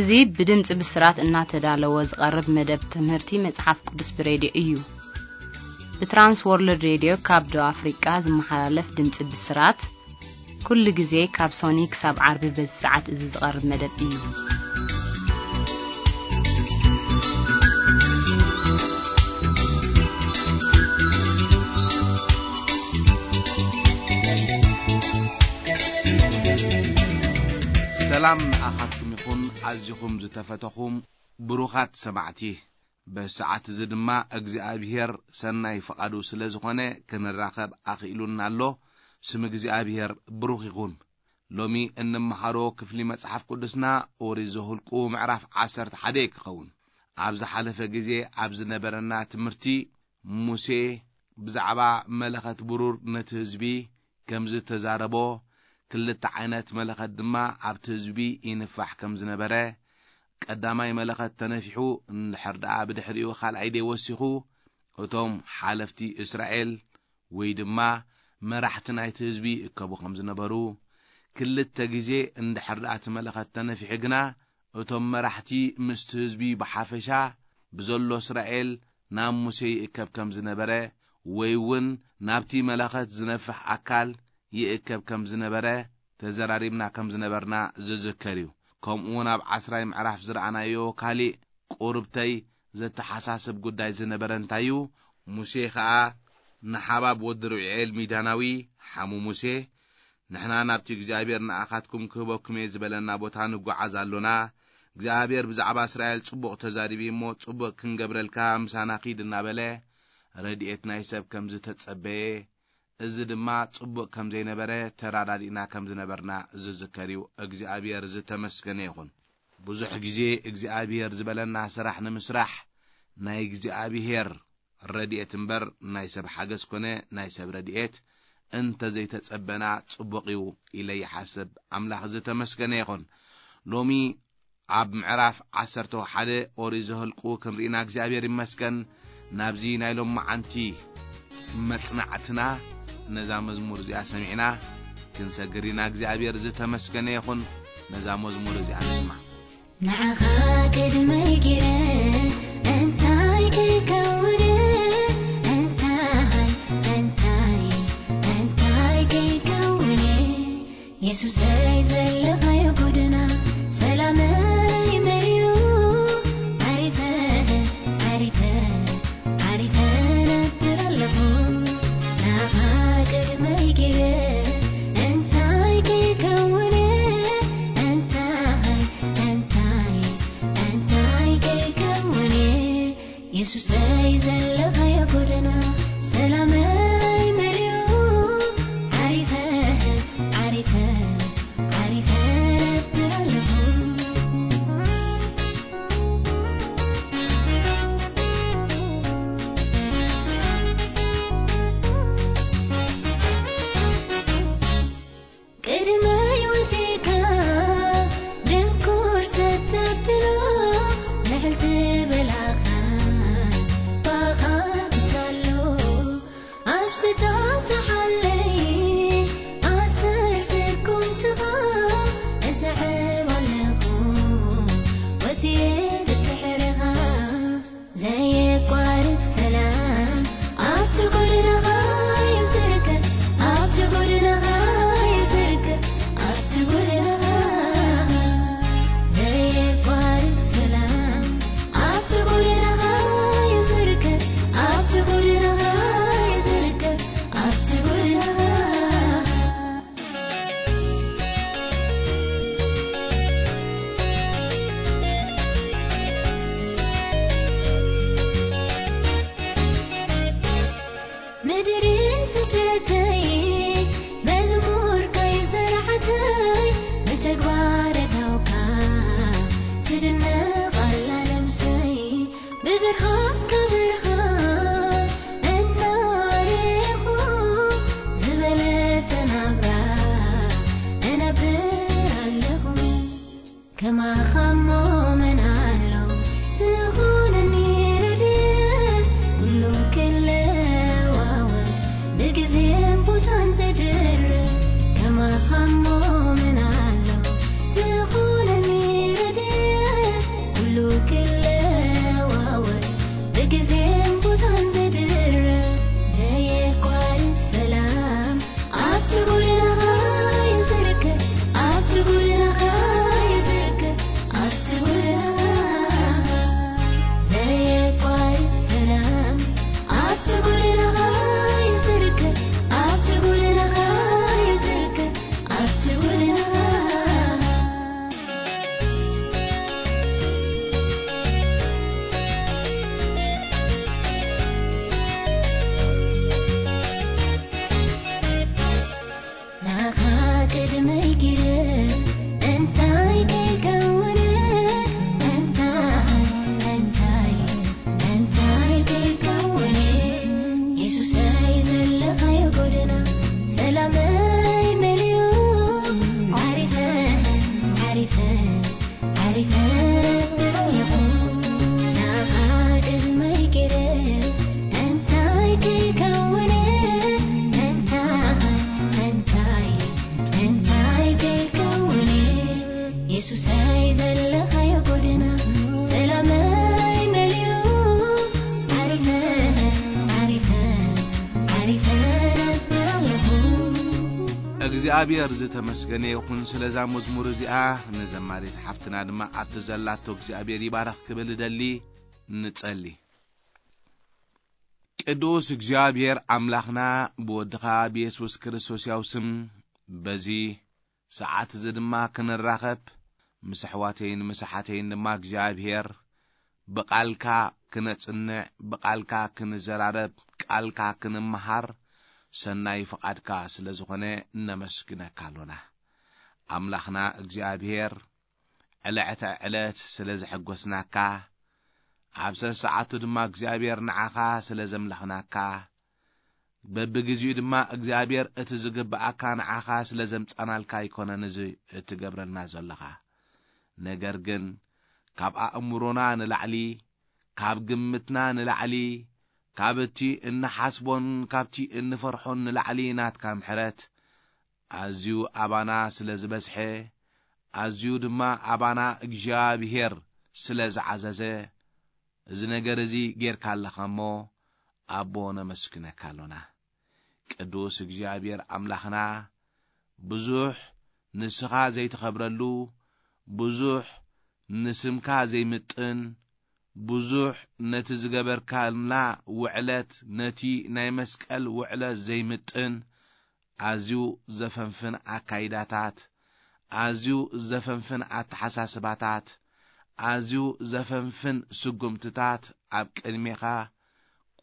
እዚ ብድምጺ ብስራት እናተዳለወ ዝቐርብ መደብ ትምህርቲ መጽሓፍ ቅዱስ ብሬድዮ እዩ። ብትራንስ ወርልድ ሬድዮ ካብ ደቡብ ኣፍሪቃ ዝመሓላለፍ ድምጺ ብስራት፣ ኩሉ ግዜ ካብ ሶኒ ክሳብ ዓርቢ በዚ ሰዓት እዚ ዝቐርብ መደብ እዩ። ሰላም ንኣኻትኩም ይኹን፣ ኣዚኹም ዝተፈተኹም ብሩኻት ሰማዕቲ። በዚ ሰዓት እዚ ድማ እግዚኣብሔር ሰናይ ፍቓዱ ስለ ዝኾነ ክንራኸብ ኣኽኢሉና ኣሎ። ስም እግዚኣብሔር ብሩኽ ይኹን። ሎሚ እንመሃሮ ክፍሊ መጽሓፍ ቅዱስና ኦሪት ዘኍልቁ ምዕራፍ ዓሰርተ ሓደ ክኸውን። ኣብ ዝሓለፈ ግዜ ኣብ ዝነበረና ትምህርቲ፣ ሙሴ ብዛዕባ መለኸት ብሩር ነቲ ህዝቢ ከም ዝተዛረቦ፣ ክልተ ዓይነት መለኸት ድማ ኣብቲ ህዝቢ ይንፋሕ ከም ዝነበረ፣ ቀዳማይ መለኸት ተነፊሑ እንድሕር ደኣ ብድሕሪኡ ካልኣይ ደይ ወሲኹ፣ እቶም ሓለፍቲ እስራኤል ወይ ድማ መራሕቲ ናይቲ ህዝቢ ይእከቡ ከም ዝነበሩ፣ ክልተ ግዜ እንድሕር ደኣ እቲ መለኸት ተነፊሑ ግና፣ እቶም መራሕቲ ምስቲ ህዝቢ ብሓፈሻ ብዘሎ እስራኤል ናብ ሙሴ ይእከብ ከም ዝነበረ፣ ወይ እውን ናብቲ መለኸት ዝነፍሕ ኣካል ይእከብ ከም ዝነበረ ተዘራሪብና ከም ዝነበርና ዝዝከር እዩ። ከምኡ እውን ኣብ ዓስራይ ምዕራፍ ዝረኣናዮ ካሊእ ቁርብተይ ዘተሓሳስብ ጉዳይ ዝነበረ እንታይ እዩ? ሙሴ ኸኣ ንሓባብ ወዲ ርብኤል ሚዳናዊ፣ ሓሙ ሙሴ፣ ንሕና ናብቲ እግዚኣብሔር ንኣኻትኩም ክህበኩም እየ ዝበለና ቦታ ንጓዓዝ ኣሎና። እግዚኣብሔር ብዛዕባ እስራኤል ጽቡቕ ተዛሪቡ እሞ፣ ጽቡቕ ክንገብረልካ ምሳና ኺድ እናበለ ረድኤት ናይ ሰብ ከም ዝተጸበየ፣ እዚ ድማ ጽቡቕ ከም ዘይነበረ ተራዳዲእና ከም ዝነበርና ዝዝከር እዩ። እግዚኣብሔር ዝተመስገነ ይኹን። ብዙሕ ግዜ እግዚኣብሔር ዝበለና ስራሕ ንምስራሕ ናይ እግዚኣብሔር ረድኤት እምበር ናይ ሰብ ሓገዝ ኮነ ናይ ሰብ ረድኤት እንተ ዘይተጸበና ጽቡቕ እዩ ኢለ ይሓስብ። ኣምላኽ ዝተመስገነ ይኹን። ሎሚ ኣብ ምዕራፍ ዓሰርተ ሓደ ኦሪት ዘኍልቁ ክንርኢና እግዚኣብሔር ይመስገን። ናብዚ ናይ ሎመዓንቲ መጽናዕትና ነዛ መዝሙር እዚኣ ሰሚዕና ክንሰግር ኢና። እግዚኣብሔር ዝተመስገነ ይኹን። ነዛ መዝሙር እዚኣ ንስማዕ። ንዓኻ ቅድመይ ገይረ እንታይ ክከውን? እንታይ፣ እንታይ፣ እንታይ ክከውን? የሱሰይ ዘለኻዮ ጎደና ሰላመይ መሊኡ። ዓሪፈ፣ ዓሪፈ፣ ዓሪፈ ነብር ኣለኹ። ናኻ ቅድመይ ገይረ እንታይ ክከውን? እንታይ፣ እንታይ፣ እንታይ ክከውን? የሱሰይ ዘለኻዮ ጎደና ሰላመይ መሊኡ። ዓሪፈ፣ ዓሪፈ፣ ዓሪፈ ነብር ኣለኹ። ቅድመይ ኪደ እንታይ ከይከውን እንታይ እንታይ እንታይ ከይከውን የሱሰይ ዘለኻዮ ጎደና ሰላመይ መሊኡ ዓሪፈ ዓሪፈ ዓሪፈ ኣለኹ ናኻ ቅድመይ ኪደ እንታይ ከይከውን እንታይ እንታይ እንታይ ከይከውን የሱሰይ ዘለኻዮ ጎደና ሰላመይ መሊኡ ዓሪፈ ዓሪፈ ዓሪፈ ነብር ኣለኹ። እግዚኣብሔር ዝተመስገነ ይኹን ስለዛ መዝሙር እዚኣ። ንዘማሪት ሓፍትና ድማ ኣብቲ ዘላቶ እግዚኣብሔር ይባረኽ ክብል እደሊ። ንጸሊ። ቅዱስ እግዚኣብሔር ኣምላኽና ብወድኻ ብየሱስ ክርስቶስ ያው ስም በዚ ሰዓት እዚ ድማ ክንራኸብ ምስ ኣሕዋተይን ምስ ኣሓተይን ድማ እግዚኣብሔር ብቓልካ ክነጽንዕ ብቓልካ ክንዘራረብ ቃልካ ክንመሃር ሰናይ ፍቓድካ ስለ ዝኾነ ነመስግነካ ኣሎና። ኣምላኽና እግዚኣብሔር ዕለተ ዕለት ስለ ዘሐጎስናካ ኣብ ሰሰዓቱ ድማ እግዚኣብሔር ንዓኻ ስለ ዘምለኽናካ በብግዜኡ ድማ እግዚኣብሔር እቲ ዝግብኣካ ንዓኻ ስለ ዘምጻናልካ ኣይኮነን እዚ እትገብረልና ዘለኻ። ነገር ግን ካብ ኣእምሮና ንላዕሊ ካብ ግምትና ንላዕሊ ካብ እቲ እንሓስቦን ካብቲ እንፈርሖን ንላዕሊ ናትካ ምሕረት ኣዝዩ ኣባና ስለ ዝበዝሐ ኣዝዩ ድማ ኣባና እግዚኣብሔር ስለ ዝዓዘዘ እዚ ነገር እዚ ጌርካ ኣለኻ እሞ ኣቦ ነመስግነካ ኣሎና። ቅዱስ እግዚኣብሔር ኣምላኽና ብዙሕ ንስኻ ዘይትኸብረሉ ብዙሕ ንስምካ ዘይምጥን ብዙሕ ነቲ ዝገበርካልና ውዕለት ነቲ ናይ መስቀል ውዕለት ዘይምጥን ኣዝዩ ዘፈንፍን ኣካይዳታት ኣዝዩ ዘፈንፍን ኣተሓሳስባታት ኣዝዩ ዘፈንፍን ስጉምትታት ኣብ ቅድሜኻ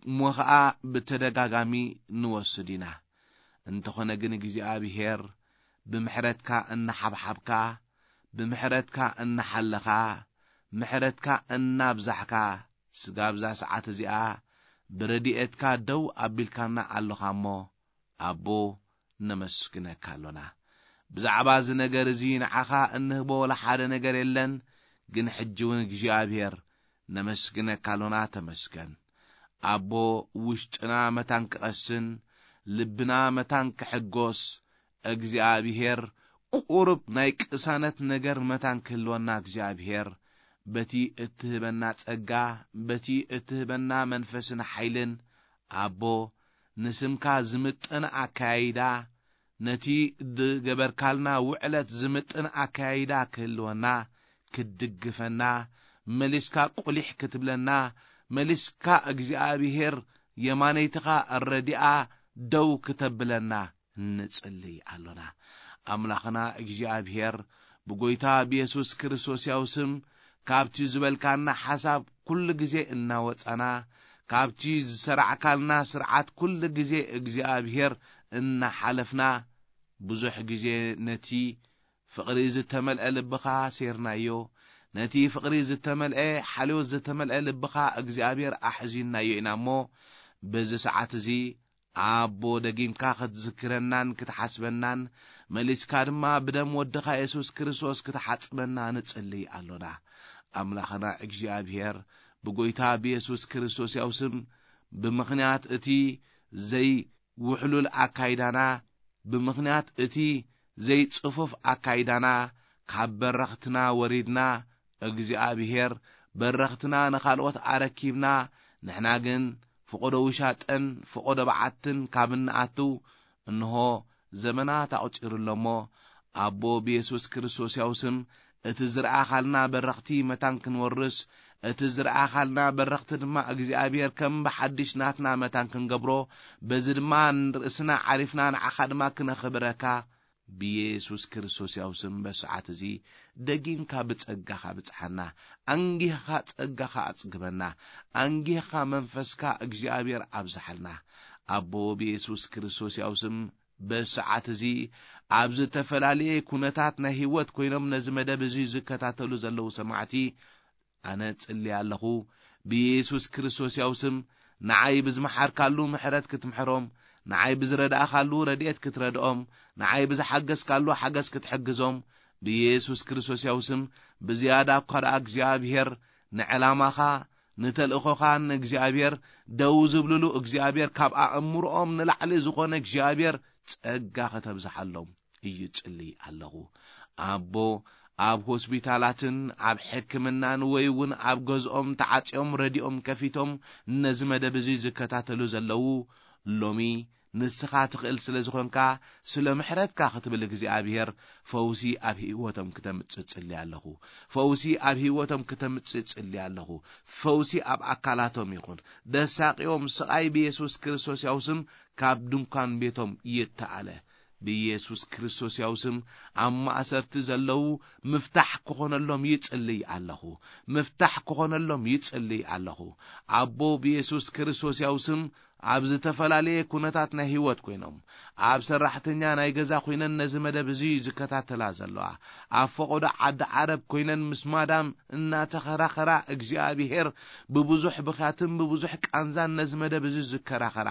እሞ ኸኣ ብተደጋጋሚ ንወስድ ኢና። እንተኾነ ግን እግዚኣብሔር ብምሕረትካ እናሓብሓብካ ብምሕረትካ እናሓለኻ ምሕረትካ እናብዛሕካ ስጋብ እዛ ሰዓት እዚኣ ብረድኤትካ ደው ኣቢልካና ኣሎኻ እሞ ኣቦ ነመስግነካ ኣሎና። ብዛዕባ እዚ ነገር እዚ ንዓኻ እንህቦ ወላ ሓደ ነገር የለን፣ ግን ሕጂ እውን እግዚኣብሔር ነመስግነካ ኣሎና ተመስገን። ኣቦ ውሽጥና መታን ክቐስን ልብና መታን ክሕጎስ እግዚኣብሔር ቁሩብ ናይ ቅሳነት ነገር መታን ክህልወና እግዚኣብሔር በቲ እትህበና ጸጋ በቲ እትህበና መንፈስን ሓይልን ኣቦ ንስምካ ዝምጥን ኣካያይዳ ነቲ ዝገበርካልና ውዕለት ዝምጥን ኣካያይዳ ክህልወና ክትድግፈና መሊስካ ቁሊሕ ክትብለና መሊስካ እግዚኣብሔር የማነይትኻ ረዲኣ ደው ክተብለና ንጽልይ ኣሎና። ኣምላኽና እግዚኣብሔር ብጎይታ ብየሱስ ክርስቶስ ያው ስም ካብቲ ዝበልካና ሓሳብ ኩሉ ግዜ እናወጻና ካብቲ ዝሰራዕካልና ስርዓት ኩሉ ግዜ እግዚኣብሔር እናሓለፍና ብዙሕ ግዜ ነቲ ፍቕሪ ዝተመልአ ልብኻ ሴርናዮ፣ ነቲ ፍቕሪ ዝተመልአ ሓልዮት ዝተመልአ ልብኻ እግዚኣብሔር ኣሕዚንናዮ ኢና እሞ በዚ ሰዓት እዚ ኣቦ ደጊምካ ክትዝክረናን ክትሓስበናን መሊስካ ድማ ብደም ወድኻ የሱስ ክርስቶስ ክትሓጽበና ንጽልይ ኣሎና። ኣምላኽና እግዚኣብሔር ብጎይታ ብየሱስ ክርስቶስ ያው ስም ብምኽንያት እቲ ዘይውሕሉል ኣካይዳና ብምኽንያት እቲ ዘይጽፉፍ ኣካይዳና ካብ በረኽትና ወሪድና እግዚኣብሔር በረኽትና ንኻልኦት ኣረኪብና ንሕና ግን ፍቖዶ ውሻጠን ፍቖዶ በዓትን ካብ እንኣትው እንሆ ዘመናት ኣቑጺሩ ኣሎ እሞ ኣቦ ብየሱስ ክርስቶስ ያው ስም እቲ ዝረኣኻልና በረኽቲ መታን ክንወርስ እቲ ዝረኣኻልና በረኽቲ ድማ እግዚኣብሔር ከም ብሓድሽ ናትና መታን ክንገብሮ በዚ ድማ ንርእስና ዓሪፍና ንዓኻ ድማ ክነኽብረካ ብየሱስ ክርስቶስ ያው ስም በሰዓት እዚ ደጊምካ ብጸጋኻ ብጽሓና ኣንጊህኻ ጸጋኻ ኣጽግበና ኣንጊህኻ መንፈስካ እግዚኣብሔር ኣብዝሓልና ኣቦ ብየሱስ ክርስቶስ ያው ስም በዚ ሰዓት እዚ ኣብ ዝተፈላለየ ኩነታት ናይ ህይወት ኮይኖም ነዚ መደብ እዚ ዝከታተሉ ዘለዉ ሰማዕቲ፣ ኣነ ጽሊ ኣለኹ። ብየሱስ ክርስቶስ ያው ስም ንዓይ ብዝመሓርካሉ ምሕረት ክትምሕሮም፣ ንዓይ ብዝረዳእኻሉ ረድኤት ክትረድኦም፣ ንዓይ ብዝሓገዝካሉ ሓገዝ ክትሕግዞም፣ ብየሱስ ክርስቶስ ያው ስም ብዝያዳ እኳ ደኣ እግዚኣብሔር ንዕላማኻ፣ ንተልእኾኻ ንእግዚኣብሔር ደው ዝብልሉ እግዚኣብሔር፣ ካብ ኣእምሮኦም ንላዕሊ ዝኾነ እግዚኣብሔር ጸጋ ከተብዝሓሎም እዩ ጽሊ ኣለኹ። ኣቦ፣ ኣብ ሆስፒታላትን ኣብ ሕክምናን ወይ እውን ኣብ ገዝኦም ተዓጽዮም ረድኦም ከፊቶም ነዚ መደብ እዚ ዝከታተሉ ዘለዉ፣ ሎሚ ንስኻ ትኽእል ስለ ዝኾንካ፣ ስለ ምሕረትካ ክትብል እግዚኣብሔር ፈውሲ ኣብ ህይወቶም ክተምጽእ ጽሊ ኣለኹ። ፈውሲ ኣብ ህይወቶም ክተምጽእ ጽሊ ኣለኹ። ፈውሲ ኣብ ኣካላቶም ይኹን። ደሳቂኦም ስቓይ ብየሱስ ክርስቶስ ያው ስም ካብ ድንኳን ቤቶም ይተኣለ። ብየሱስ ክርስቶስ ያው ስም ኣብ ማእሰርቲ ዘለዉ ምፍታሕ ክኾነሎም ይጽልይ ኣለኹ። ምፍታሕ ክኾነሎም ይጽልይ ኣለኹ። ኣቦ ብየሱስ ክርስቶስ ያው ስም ኣብ ዝተፈላለየ ኩነታት ናይ ህይወት ኮይኖም፣ ኣብ ሰራሕተኛ ናይ ገዛ ኮይነን ነዚ መደብ እዚ ዝከታተላ ዘለዋ፣ ኣብ ፈቆዶ ዓዲ ዓረብ ኮይነን ምስ ማዳም እናተኸራኸራ እግዚኣብሔር ብብዙሕ ብኽያትን ብብዙሕ ቃንዛን ነዚ መደብ እዚ ዝከራኸራ፣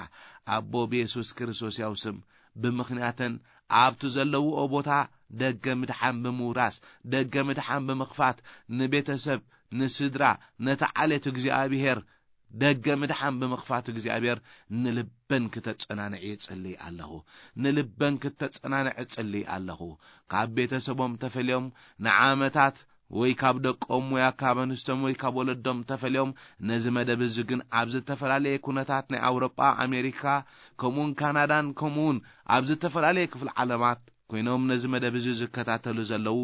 ኣቦ ብየሱስ ክርስቶስ ያው ስም ብምኽንያተን ኣብቲ ዘለውኦ ቦታ ደገ ምድሓን ብምውራስ፣ ደገ ምድሓን ብምኽፋት፣ ንቤተሰብ፣ ንስድራ፣ ነቲ ዓሌት እግዚኣብሔር ደገ ምድሓን ብምኽፋት እግዚኣብሔር ንልበን ክተጸናንዕ ይጽልይ ኣለኹ። ንልበን ክተጸናንዕ እጽልይ ኣለኹ። ካብ ቤተሰቦም ተፈልዮም ንዓመታት ወይ ካብ ደቆም ወይ ካብ ኣንስቶም ወይ ካብ ወለዶም ተፈልዮም ነዚ መደብ እዚ ግን ኣብ ዝተፈላለየ ኩነታት ናይ ኣውሮጳ፣ ኣሜሪካ፣ ከምኡውን ካናዳን ከምኡውን ኣብ ዝተፈላለየ ክፍሊ ዓለማት ኮይኖም ነዚ መደብ እዚ ዝከታተሉ ዘለዉ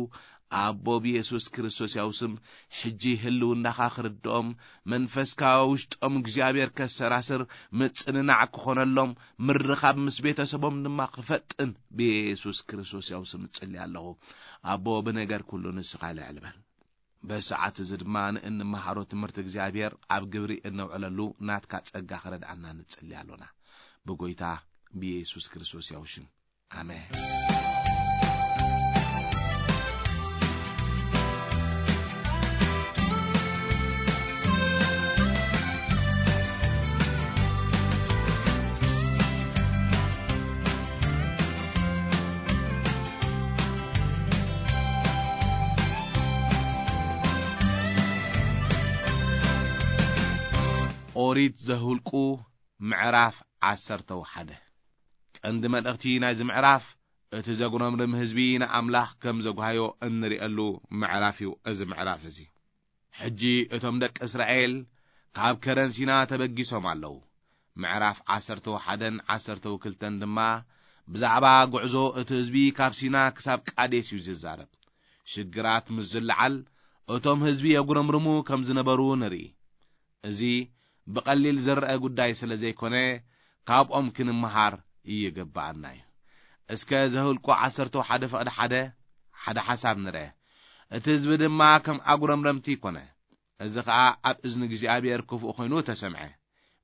ኣቦ ብየሱስ ክርስቶስ ያው ስም ሕጂ ህልውናኻ ክርድኦም መንፈስካ ውሽጦም እግዚኣብሔር ከሰራስር ምጽንናዕ ክኾነሎም ምርኻብ ምስ ቤተሰቦም ድማ ክፈጥን ብየሱስ ክርስቶስ ያው ስም እጽሊ ኣለኹ። ኣቦ ብነገር ኩሉ ንስኻ ልዕል በል። በሰዓት እዚ ድማ ንእንመሃሮ ትምህርቲ እግዚኣብሔር ኣብ ግብሪ እነውዕለሉ ናትካ ጸጋ ክረድኣና ንጽሊ ኣሎና። ብጎይታ ብየሱስ ክርስቶስ ያው ሽም። ኣሜን። ኦሪት ዘሁልቁ ምዕራፍ ዓሰርተ ወሓደ። ቀንዲ መልእኽቲ ናይዚ ምዕራፍ፣ እቲ ዘጉረምርም ህዝቢ ንኣምላኽ ከም ዘጓሃዮ እንርእየሉ ምዕራፍ እዩ እዚ ምዕራፍ እዚ። ሕጂ እቶም ደቂ እስራኤል ካብ ከረን ሲና ተበጊሶም ኣለዉ። ምዕራፍ ዓሰርተ ሓደን ዓሰርተ ክልተን ድማ ብዛዕባ ጉዕዞ እቲ ህዝቢ ካብ ሲና ክሳብ ቃዴስ እዩ ዝዛረብ። ሽግራት ምስ ዝለዓል እቶም ህዝቢ የጉረምርሙ ከም ዝነበሩ ንርኢ። እዚ ብቐሊል ዝረአ ጉዳይ ስለ ዘይኮነ፣ ካብኦም ክንመሃር ይግብኣና እዩ። እስከ ዘኍልቁ ዓሰርተ ሓደ ፍቕዲ ሓደ ሓደ ሓሳብ ንርአ። እቲ ህዝቢ ድማ ከም ኣጉረምረምቲ ኮነ። እዚ ኸኣ ኣብ እዝኒ እግዚኣብሔር ክፉእ ኮይኑ ተሰምዐ።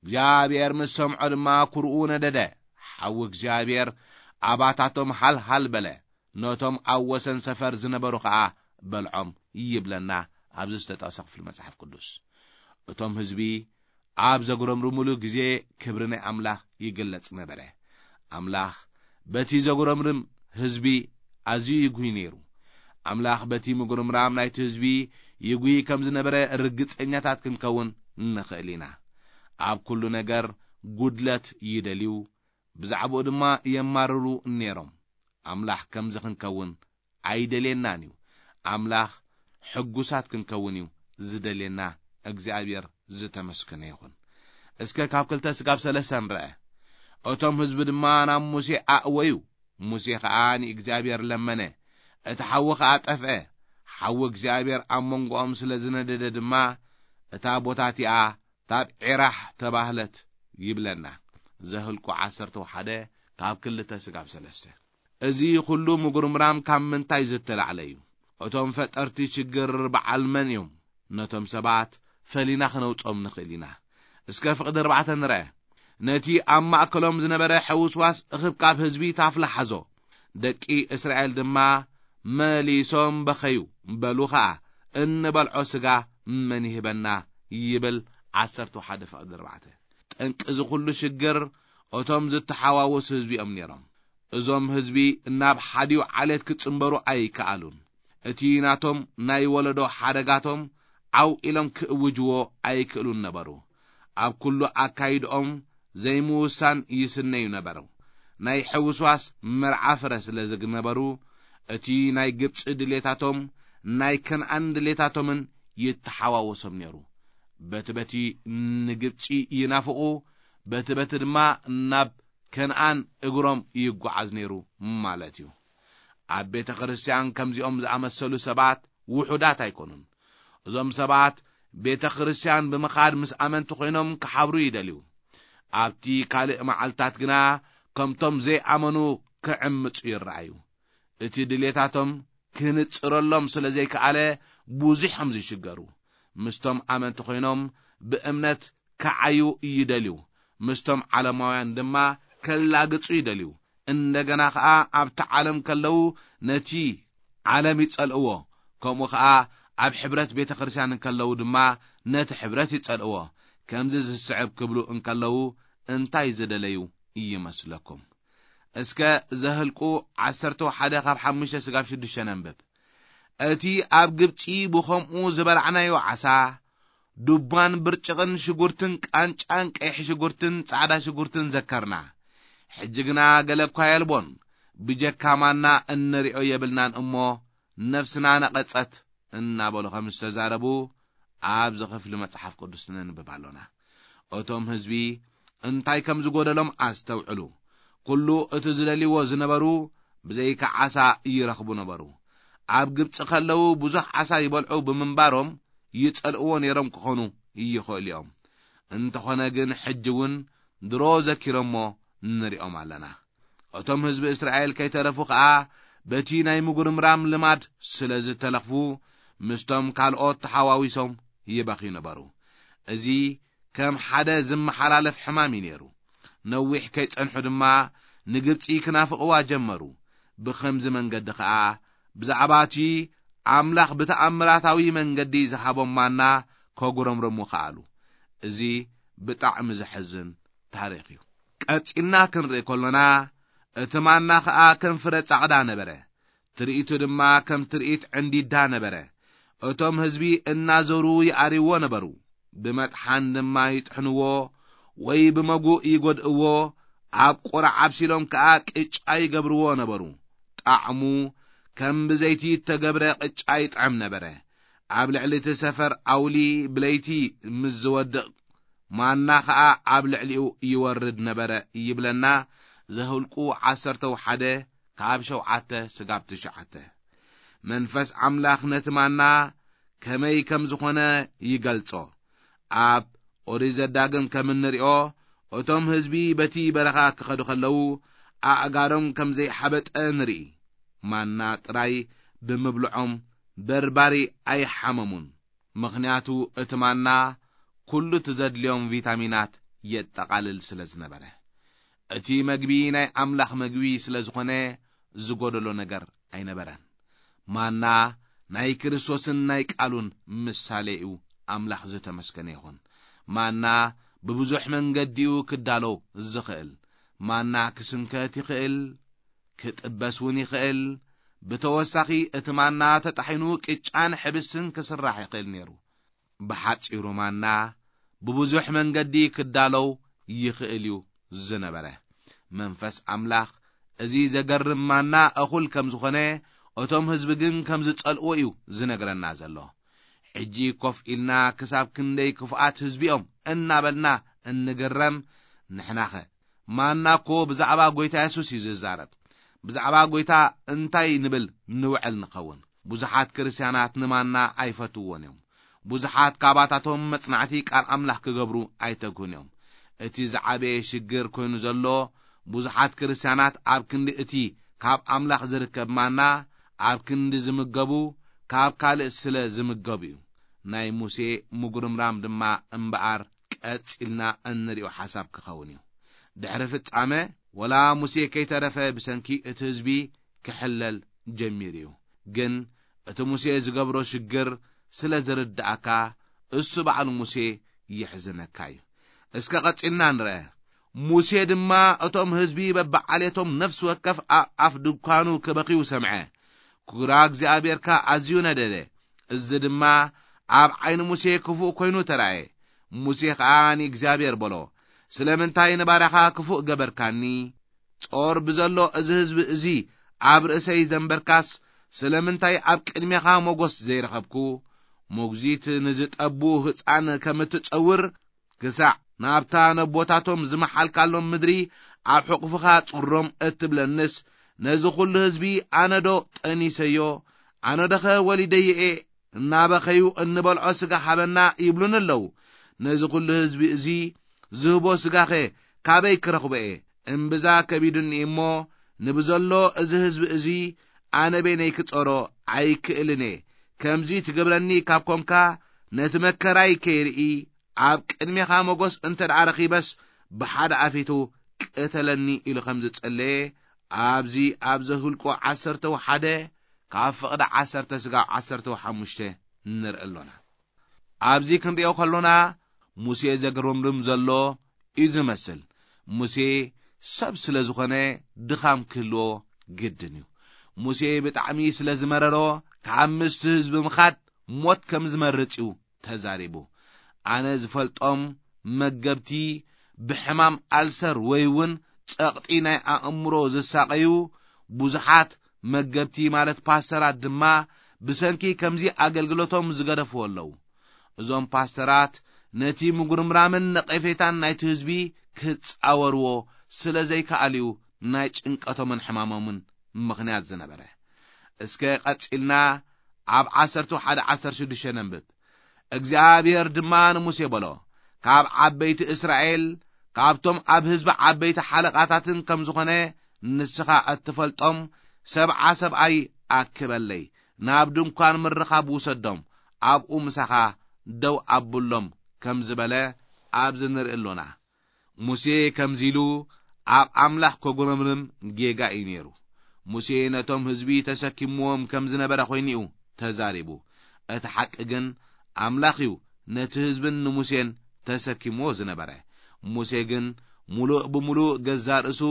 እግዚኣብሔር ምስ ሰምዖ ድማ ኩርኡ ነደደ። ሓዊ እግዚኣብሔር ኣባታቶም ሃልሃል በለ። ነቶም ኣብ ወሰን ሰፈር ዝነበሩ ኸኣ በልዖም ይብለና ኣብዚ ዝተጠቕሰ ክፍሊ መጽሓፍ ቅዱስ። እቶም ህዝቢ ኣብ ዘጉረምርሙሉ ግዜ ክብሪ ናይ ኣምላኽ ይግለጽ ነበረ። ኣምላኽ በቲ ዘጉረምርም ህዝቢ ኣዝዩ ይጉሂ ነይሩ። ኣምላኽ በቲ ምጉርምራም ናይቲ ህዝቢ ይጉሂ ከም ዝነበረ ርግጸኛታት ክንከውን ንኽእል ኢና። ኣብ ኩሉ ነገር ጉድለት ይደልዩ፣ ብዛዕባኡ ድማ የማርሩ ነይሮም። ኣምላኽ ከምዚ ክንከውን ኣይደልየናን እዩ። ኣምላኽ ሕጉሳት ክንከውን እዩ ዝደልየና። እግዚኣብሔር ዝተመስገነ ይኹን። እስከ ካብ ክልተ ስጋብ ሰለስተ ንርአ። እቶም ህዝቢ ድማ ናብ ሙሴ ኣእወዩ። ሙሴ ኸኣ ንእግዚኣብሔር ለመነ። እቲ ሓዊ ኸኣ ጠፍአ። ሓዊ እግዚኣብሔር ኣብ መንጎኦም ስለ ዝነደደ ድማ እታ ቦታ እቲኣ ታብዔራሕ ተባህለት ይብለና። ዘኍልቁ ዓሰርተ ሓደ ካብ ክልተ ስጋብ ሰለስተ። እዚ ኹሉ ምጉርምራም ካብ ምንታይ ዝተላዕለ እዩ? እቶም ፈጠርቲ ሽግር በዓል መን እዮም? ነቶም ሰባት ፈሊና ክነውጾም ንኽእል ኢና። እስከ ፍቕዲ ኣርባዕተ ንርአ። ነቲ ኣብ ማእከሎም ዝነበረ ሕውስዋስ እኽብካብ ህዝቢ ታፍላ ሓዞ። ደቂ እስራኤል ድማ መሊሶም በኸዩ፣ በሉ ኸኣ፣ "እንበልዖ ስጋ መን ይህበና?" ይብል። ዓሰርተ ሓደ ፍቕዲ ኣርባዕተ። ጠንቂ እዚ ኹሉ ሽግር እቶም ዝተሓዋወሱ ህዝቢ እዮም ነይሮም። እዞም ህዝቢ ናብ ሓዲኡ ዓሌት ክጽንበሩ ኣይከኣሉን። እቲ ናቶም ናይ ወለዶ ሓደጋቶም ዓው ኢሎም ክእውጅዎ ኣይክእሉን ነበሩ። ኣብ ኩሉ ኣካይድኦም ዘይምውሳን ይስነዩ ነበሩ። ናይ ሕውስዋስ መርዓ ፍረ ስለ ዝነበሩ፣ እቲ ናይ ግብጺ ድሌታቶም ናይ ከነኣን ድሌታቶምን ይተሓዋወሶም ነይሩ። በቲ በቲ ንግብጺ ይናፍቑ፣ በቲ በቲ ድማ ናብ ከነኣን እግሮም ይጓዓዝ ነይሩ ማለት እዩ። ኣብ ቤተ ክርስቲያን ከምዚኦም ዝኣመሰሉ ሰባት ውሑዳት ኣይኮኑን። እዞም ሰባት ቤተ ክርስቲያን ብምኻድ ምስ ኣመንቲ ኮይኖም ክሓብሩ ይደልዩ። ኣብቲ ካልእ መዓልታት ግና ከምቶም ዘይኣመኑ ክዕምጹ ይረኣዩ። እቲ ድሌታቶም ክህንጽረሎም ስለ ዘይከኣለ ብዙሕ ከም ዝሽገሩ፣ ምስቶም ኣመንቲ ኮይኖም ብእምነት ክዓዩ ይደልዩ፣ ምስቶም ዓለማውያን ድማ ከላግጹ ይደልዩ። እንደገና ኸኣ ኣብቲ ዓለም ከለዉ ነቲ ዓለም ይጸልእዎ፣ ከምኡ ኸኣ ኣብ ሕብረት ቤተ ክርስቲያን እንከለዉ ድማ ነቲ ሕብረት ይጸልእዎ። ከምዚ ዝስዕብ ክብሉ እንከለዉ እንታይ ዝደለዩ ይመስለኩም? እስከ ዘህልቁ ዓሰርተ ሓደ ካብ ሓሙሽተ ስጋብ ሽዱሽተ ነንብብ። "እቲ ኣብ ግብጺ ብኸምኡ ዝበላዕናዮ ዓሳ፣ ዱባን ብርጭቕን ሽጉርትን ቃንጫን ቀይሕ ሽጉርትን ጻዕዳ ሽጉርትን ዘከርና። ሕጂ ግና ገለ እኳ የልቦን፣ ብጀካ ማና እንሪኦ የብልናን እሞ ነፍስና ነቐጸት" እናበሉ ከም ዝተዛረቡ ኣብዚ ክፍሊ መጽሓፍ ቅዱስ ነንብብ ኣሎና። እቶም ህዝቢ እንታይ ከም ዝጎደሎም ኣስተውዕሉ። ኩሉ እቲ ዝደልይዎ ዝነበሩ ብዘይካ ዓሳ ይረኽቡ ነበሩ። ኣብ ግብጺ ከለዉ ብዙሕ ዓሳ ይበልዑ ብምንባሮም ይጸልእዎ ነይሮም ክኾኑ ይኽእሉ እዮም። እንተኾነ ግን ሕጂ እውን ድሮ ዘኪሮሞ ንሪኦም ኣለና። እቶም ህዝቢ እስራኤል ከይተረፉ ኸኣ በቲ ናይ ምጉርምራም ልማድ ስለ ዝተለኽፉ ምስቶም ካልኦት ተሓዋዊሶም ይበኽዩ ነበሩ። እዚ ከም ሓደ ዝመሓላለፍ ሕማም እዩ ነይሩ። ነዊሕ ከይጸንሑ ድማ ንግብጺ ክናፍቕዋ ጀመሩ። ብኸምዚ መንገዲ ኸኣ ብዛዕባ እቲ ኣምላኽ ብተኣምራታዊ መንገዲ ዝሃቦም ማና ከጉረምረሙ ከኣሉ። እዚ ብጣዕሚ ዘሕዝን ታሪኽ እዩ። ቀጺልና ክንርኢ ከሎና፣ እቲ ማና ኸኣ ከም ፍረ ጻዕዳ ነበረ፣ ትርኢቱ ድማ ከም ትርኢት ዕንዲዳ ነበረ። እቶም ህዝቢ እናዞሩ ይኣርይዎ ነበሩ፣ ብመጥሓን ድማ ይጥሕንዎ፣ ወይ ብመጉእ ይጎድእዎ፣ ኣብ ቁራዕ ኣብሲሎም ከኣ ቅጫ ይገብርዎ ነበሩ። ጣዕሙ ከም ብዘይቲ እተገብረ ቅጫ ይጥዕም ነበረ። ኣብ ልዕሊ እቲ ሰፈር ኣውሊ ብለይቲ ምስ ዝወድቕ፣ ማና ኸኣ ኣብ ልዕሊኡ ይወርድ ነበረ ይብለና። ዘኍልቁ ዓሰርተ ሓደ ካብ ሸውዓተ ስጋብ ትሽዓተ። መንፈስ ኣምላኽ ነቲ ማና ከመይ ከም ዝኾነ ይገልጾ። ኣብ ኦሪት ዘዳግም ከም እንሪኦ፣ እቶም ህዝቢ በቲ በረኻ ክኸዱ ከለዉ፣ ኣእጋሮም ከም ዘይሓበጠ ንርኢ። ማና ጥራይ ብምብልዖም በርባሪ ኣይሓመሙን። ምኽንያቱ እቲ ማና ኩሉ እቲ ዘድልዮም ቪታሚናት የጠቓልል ስለ ዝነበረ። እቲ መግቢ ናይ ኣምላኽ መግቢ ስለ ዝኾነ ዝጎደሎ ነገር ኣይነበረን። ማና ናይ ክርስቶስን ናይ ቃሉን ምሳሌ እዩ። ኣምላኽ ዝተመስገነ ይኹን። ማና ብብዙሕ መንገዲኡ ክዳሎ ዝኽእል። ማና ክስንከት ይኽእል፣ ክጥበስ እውን ይኽእል። ብተወሳኺ እቲ ማና ተጣሒኑ ቅጫን ሕብስትን ክስራሕ ይኽእል ነይሩ። ብሓጺሩ ማና ብብዙሕ መንገዲ ክዳለው ይኽእል እዩ ዝነበረ። መንፈስ ኣምላኽ እዚ ዘገርም ማና እኹል ከም ዝኾነ፣ እቶም ህዝቢ ግን ከም ዝጸልእዎ እዩ ዝነግረና ዘሎ። ሕጂ ኮፍ ኢልና ክሳብ ክንደይ ክፉኣት ህዝቢ እዮም እናበልና እንግረም። ንሕናኸ? ማና እኮ ብዛዕባ ጐይታ የሱስ እዩ ዝዛረብ። ብዛዕባ ጐይታ እንታይ ንብል ንውዕል ንኸውን? ብዙሓት ክርስትያናት ንማና ኣይፈትውዎን እዮም። ብዙሓት ካባታቶም መጽናዕቲ ቃል ኣምላኽ ክገብሩ ኣይተግሁን እዮም። እቲ ዝዓበየ ሽግር ኮይኑ ዘሎ፣ ብዙሓት ክርስትያናት ኣብ ክንዲ እቲ ካብ ኣምላኽ ዝርከብ ማና ኣብ ክንዲ ዝምገቡ፣ ካብ ካልእ ስለ ዝምገቡ እዩ። ናይ ሙሴ ምጉርምራም ድማ እምበኣር ቀጺልና እንሪኦ ሓሳብ ክኸውን እዩ። ድሕሪ ፍጻመ፣ ወላ ሙሴ ከይተረፈ ብሰንኪ እቲ ህዝቢ ክሕለል ጀሚሩ እዩ። ግን እቲ ሙሴ ዝገብሮ ሽግር ስለ ዝርድኣካ፣ እሱ ባዕሉ ሙሴ የሕዝነካ እዩ። እስከ ቀጺልና ንርአ። ሙሴ ድማ እቶም ህዝቢ በብዓሌቶም ነፍሲ ወከፍ ኣብ ኣፍ ድኳኑ ክበኽዩ ሰምዐ። ክራ እግዚኣብሔር ከኣ ኣዝዩ ነደደ። እዚ ድማ ኣብ ዓይኒ ሙሴ ክፉእ ኮይኑ ተራእየ። ሙሴ ኸኣ ንእግዚኣብሔር በሎ፣ "ስለምንታይ ንባርያኻ ክፉእ ገበርካኒ? ጾር ብዘሎ እዚ ህዝቢ እዚ ኣብ ርእሰይ ዘንበርካስ፣ ስለምንታይ ኣብ ቅድሜኻ ሞገስ ዘይረኸብኩ? ሞግዚት ንዝጠቡ ህጻን ከም እትጸውር፣ ክሳዕ ናብታ ነቦታቶም ዝመሓልካሎም ምድሪ ኣብ ሕቑፍኻ ጽሮም እትብለንስ፣ ነዚ ኹሉ ህዝቢ ኣነዶ ጠኒሰዮ? ኣነዶኸ ወሊደዮ እየ? እናበኸዩ እንበልዖ ስጋ ሃበና ይብሉኒ ኣለዉ። ነዚ ኹሉ ህዝቢ እዚ ዝህቦ ስጋኸ ካበይ ክረኽቦ እየ? እምብዛ ከቢዱኒ እሞ፣ ንብዘሎ እዚ ህዝቢ እዚ ኣነ በይነይ ክጸሮ ኣይክእልን እየ። ከምዚ ትገብረኒ ካብ ኮንካ፣ ነቲ መከራይ ከይርኢ፣ ኣብ ቅድሜኻ ሞገስ እንተ ደኣ ረኺበስ፣ ብሓደ ኣፊቱ ቅተለኒ" ኢሉ ከም ዝጸለየ፣ ኣብዚ ኣብ ዘኍልቁ ዓሰርተ ሓደ፣ ካብ ፍቕዲ ዓሰርተ ስጋብ ዓሰርተ ሓሙሽተ ንርኢ ኣሎና። ኣብዚ ክንሪኦ ከሎና፣ ሙሴ ዘግርምርም ዘሎ እዩ ዝመስል። ሙሴ ሰብ ስለ ዝኾነ፣ ድኻም ክህልዎ ግድን እዩ። ሙሴ ብጣዕሚ ስለ ዝመረሮ፣ ካብ ምስቲ ህዝቢ ምኻድ ሞት ከም ዝመርጽ እዩ ተዛሪቡ። ኣነ ዝፈልጦም መገብቲ ብሕማም ኣልሰር ወይ እውን ጸቕጢ ናይ ኣእምሮ ዝሳቐዩ ብዙሓት መገብቲ፣ ማለት ፓስተራት ድማ፣ ብሰንኪ ከምዚ ኣገልግሎቶም ዝገደፍዎ ኣለዉ። እዞም ፓስተራት ነቲ ምጉርምራምን ነቐፌታን ናይቲ ህዝቢ ክጻወርዎ ስለ ዘይከኣሉ እዩ ናይ ጭንቀቶምን ሕማሞምን ምኽንያት ዝነበረ። እስከ ቀጺልና ኣብ ዓሰርተ ሓደ ዓሰርተ ሽዱሽተ ነንብብ። እግዚኣብሔር ድማ ንሙሴ በሎ፣ "ካብ ዓበይቲ እስራኤል፣ ካብቶም ኣብ ህዝቢ ዓበይቲ ሓለቓታትን ከም ዝኾነ ንስኻ እትፈልጦም ሰብዓ ሰብኣይ ኣክበለይ፣ ናብ ድንኳን ምርኻብ ውሰዶም፣ ኣብኡ ምሳኻ ደው ኣብሎም" ከም ዝበለ ኣብዚ ንርኢ ኣሎና። ሙሴ ከምዚ ኢሉ ኣብ ኣምላኽ ከጉረምርም ጌጋ እዩ ነይሩ። ሙሴ ነቶም ህዝቢ ተሰኪምዎም ከም ዝነበረ ኮይኑ እዩ ተዛሪቡ። እቲ ሓቂ ግን ኣምላኽ እዩ ነቲ ህዝብን ንሙሴን ተሰኪምዎ ዝነበረ። ሙሴ ግን ምሉእ ብምሉእ ገዛእ ርእሱ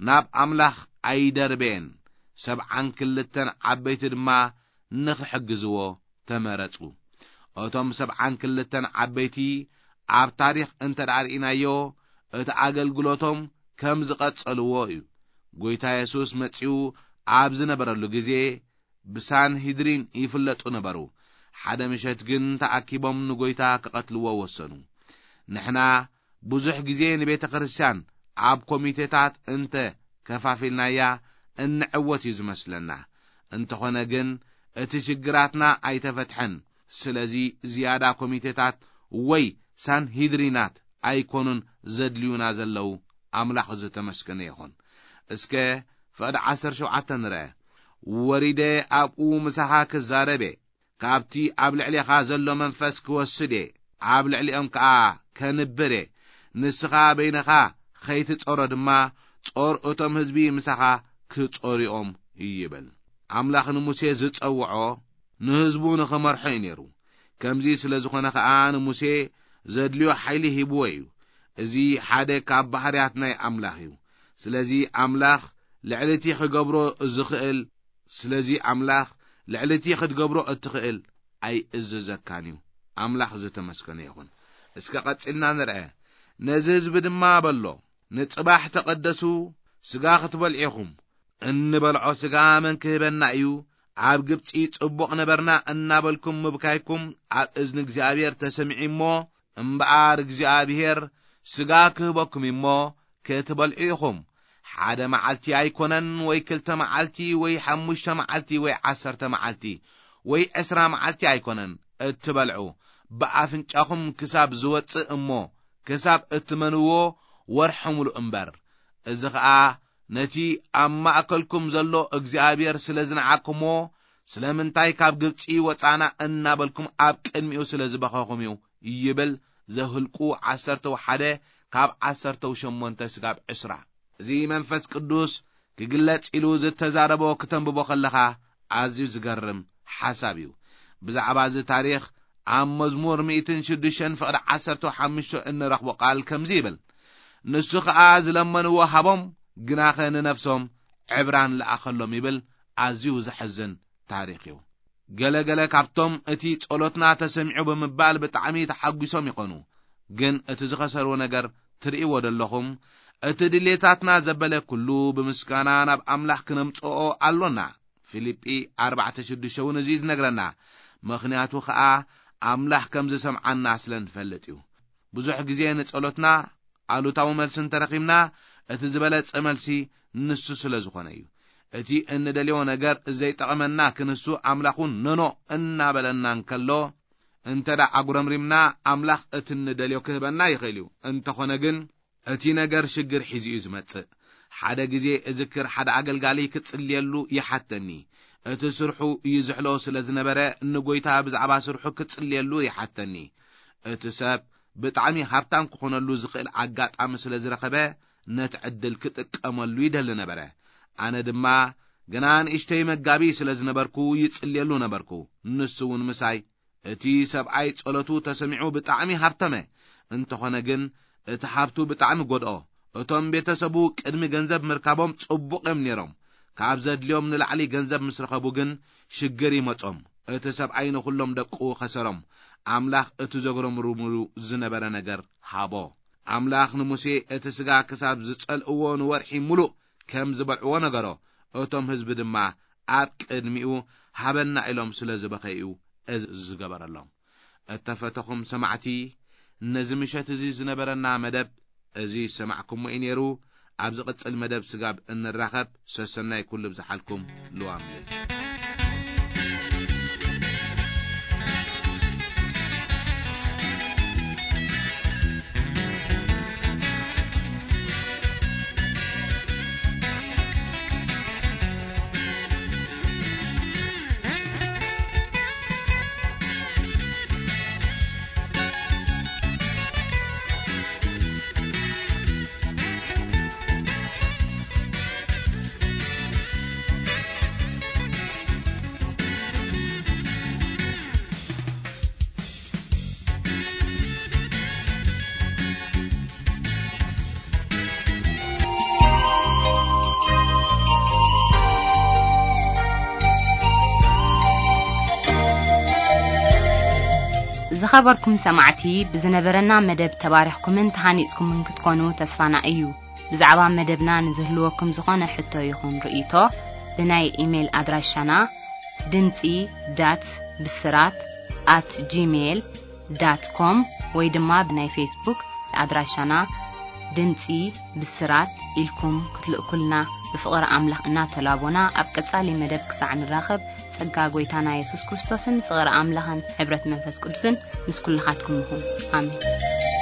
ናብ ኣምላኽ ኣይደርበየን። ሰብዓን ክልተን ዓበይቲ ድማ ንኽሕግዝዎ ተመረጹ። እቶም ሰብዓን ክልተን ዓበይቲ ኣብ ታሪኽ እንተ ደኣ ርኢናዮ፣ እቲ ኣገልግሎቶም ከም ዝቐጸልዎ እዩ። ጐይታ የሱስ መጺኡ ኣብ ዝነበረሉ ግዜ ብሳንሂድሪን ይፍለጡ ነበሩ። ሓደ ምሸት ግን ተኣኪቦም ንጐይታ ክቐትልዎ ወሰኑ። ንሕና ብዙሕ ግዜ ንቤተ ክርስቲያን ኣብ ኮሚቴታት እንተ ከፋፊልናያ እንዕወት እዩ ዝመስለና። እንተኾነ ግን እቲ ሽግራትና ኣይተፈትሐን። ስለዚ ዝያዳ ኮሚቴታት ወይ ሳንሂድሪናት ኣይኮኑን ዘድልዩና ዘለዉ። ኣምላኽ ዝተመስገነ ይኹን። እስከ ፍቕዲ ዓሰርተ ሸውዓተ ንርአ። "ወሪደ ኣብኡ ምሳኻ ክዛረብ እየ፣ ካብቲ ኣብ ልዕሌኻ ዘሎ መንፈስ ክወስድ እየ፣ ኣብ ልዕሊኦም ከኣ ከንብር እየ። ንስኻ በይንኻ ኸይትጾሮ ድማ፣ ጾር እቶም ህዝቢ ምሳኻ ክጾርኦም" ይብል። ኣምላኽ ንሙሴ ዝጸውዖ ንህዝቡ ንኽመርሖ እዩ ነይሩ። ከምዚ ስለ ዝኾነ ኸኣ ንሙሴ ዘድልዮ ሓይሊ ሂብዎ እዩ። እዚ ሓደ ካብ ባህርያት ናይ ኣምላኽ እዩ። ስለዚ ኣምላኽ ልዕሊ እቲ ኽገብሮ ዝኽእል፣ ስለዚ ኣምላኽ ልዕሊ እቲ ኽትገብሮ እትኽእል ኣይእዝዘካን እዩ። ኣምላኽ ዝተመስገነ ይኹን። እስከ ቐጺልና ንርአ። ነዚ ህዝቢ ድማ በሎ፣ "ንጽባሕ ተቐደሱ፣ ስጋ ክትበልዑ ኢኹም። እንበልዖ ስጋ መን ክህበና እዩ? ኣብ ግብጺ ጽቡቕ ነበርና" እናበልኩም ምብካይኩም ኣብ እዝኒ እግዚኣብሔር ተሰሚዑ እሞ፣ እምበኣር እግዚኣብሔር ስጋ ክህበኩም እሞ ክትበልዑ ኢኹም። ሓደ መዓልቲ ኣይኮነን፣ ወይ ክልተ መዓልቲ፣ ወይ ሓሙሽተ መዓልቲ፣ ወይ ዓሰርተ መዓልቲ፣ ወይ ዕስራ መዓልቲ ኣይኮነን እትበልዑ፣ ብኣፍንጫኹም ክሳብ ዝወጽእ እሞ ክሳብ እትመንዎ ወርሒ ሙሉእ እምበር። እዚ ኸኣ ነቲ ኣብ ማእከልኩም ዘሎ እግዚኣብሔር ስለ ዝነዓቅኩምዎ፣ ስለምንታይ ካብ ግብጺ ወጻና እናበልኩም ኣብ ቅድሚኡ ስለ ዝበኸኹም እዩ ይብል ዘህልቁ ዓሰርተው ሓደ ካብ ዓሰርተው ሸሞንተ ስጋብ ዕስራ። እዚ መንፈስ ቅዱስ ክግለጽ ኢሉ ዝተዛረቦ ክተንብቦ ከለኻ ኣዝዩ ዝገርም ሓሳብ እዩ። ብዛዕባ እዚ ታሪኽ ኣብ መዝሙር ሚእትን ሽዱሽተን ፍቕዲ ዓሰርተ ሓሙሽተ እንረኽቦ ቃል ከምዚ ይብል፣ "ንሱ ኸኣ ዝለመንዎ ሃቦም፣ ግናኸ ንነፍሶም ዕብራን ለኣኸሎም" ይብል። ኣዝዩ ዘሕዝን ታሪኽ እዩ። ገለ ገለ ካብቶም እቲ ጸሎትና ተሰሚዑ ብምባል ብጣዕሚ ተሓጒሶም ይኾኑ። ግን እቲ ዝኸሰርዎ ነገር ትርእይዎ ደለኹም? እቲ ድሌታትና ዘበለ ኩሉ ብምስጋና ናብ ኣምላኽ ክነምጽኦ ኣሎና። ፊልጲ ኣርባዕተ ሽዱሽተ እውን እዚ እዩ ዝነግረና። ምኽንያቱ ኸኣ ኣምላኽ ከም ዝሰምዓና ስለ ንፈልጥ እዩ። ብዙሕ ግዜ ንጸሎትና ኣሉታዊ መልሲ እንተረኺብና፣ እቲ ዝበለጸ መልሲ ንሱ ስለ ዝኾነ እዩ። እቲ እንደልዮ ነገር ዘይጠቐመና ክንሱ ኣምላኽ እውን ኖኖ እናበለና እንከሎ፣ እንተ ደኣ ኣጉረምሪምና፣ ኣምላኽ እቲ እንደልዮ ክህበና ይኽእል እዩ። እንተኾነ ግን፣ እቲ ነገር ሽግር ሒዙ እዩ ዝመጽእ። ሓደ ግዜ እዝክር፣ ሓደ ኣገልጋሊ ክጽልየሉ ይሓተኒ። እቲ ስርሑ ይዝሕሎ ስለ ዝነበረ፣ ንጎይታ ብዛዕባ ስርሑ ክጽልየሉ ይሓተኒ። እቲ ሰብ ብጣዕሚ ሃብታም ክኾነሉ ዝኽእል ኣጋጣሚ ስለ ዝረኸበ፣ ነቲ ዕድል ክጥቀመሉ ይደሊ ነበረ። ኣነ ድማ ገና ንእሽተይ መጋቢ ስለ ዝነበርኩ፣ ይጽልየሉ ነበርኩ። ንሱ እውን ምሳይ። እቲ ሰብኣይ ጸሎቱ ተሰሚዑ ብጣዕሚ ሃብተመ። እንተኾነ ግን፣ እቲ ሃብቱ ብጣዕሚ ጎድኦ። እቶም ቤተሰቡ ቅድሚ ገንዘብ ምርካቦም ጽቡቕ እዮም ነይሮም። ካብ ዘድልዮም ንላዕሊ ገንዘብ ምስ ረኸቡ ግን፣ ሽግር ይመጾም። እቲ ሰብኣይ ንኹሎም ደቁ ኸሰሮም። ኣምላኽ እቲ ዘጉረምርምሉ ዝነበረ ነገር ሃቦ። ኣምላኽ ንሙሴ፣ እቲ ስጋ ክሳብ ዝጸልእዎ ንወርሒ ሙሉእ ከም ዝበልዕዎ ነገሮ። እቶም ህዝቢ ድማ ኣብ ቅድሚኡ ሃበና ኢሎም ስለ ዝበኸዩ እዚ ዝገበረሎም። እተፈተኹም ሰማዕቲ፣ ነዚ ምሸት እዚ ዝነበረና መደብ እዚ ዝሰማዕኩሞ እዩ ነይሩ። ኣብ ዝቕጽል መደብ ስጋብ እንራኸብ፣ ሰሰናይ ኩሉ ብዝሓልኩም ልዋም ልል። ዝኸበርኩም ሰማዕቲ፣ ብዝነበረና መደብ ተባሪኽኩምን ተሃኒጽኩምን ክትኮኑ ተስፋና እዩ። ብዛዕባ መደብና ንዝህልወኩም ዝኾነ ሕቶ ይኹን ርእይቶ፣ ብናይ ኢሜይል ኣድራሻና ድምጺ ዳት ብስራት ኣት ጂሜይል ዳት ኮም ወይ ድማ ብናይ ፌስቡክ ኣድራሻና ድምጺ ብስራት ኢልኩም ክትልእኩልና ብፍቕሪ ኣምላኽ እናተላቦና፣ ኣብ ቀጻሊ መደብ ክሳዕ ንራኸብ፣ ጸጋ ጐይታና የሱስ ክርስቶስን ፍቕሪ ኣምላኽን ሕብረት መንፈስ ቅዱስን ምስ ኩልኻትኩም ይኹን። ኣሜን።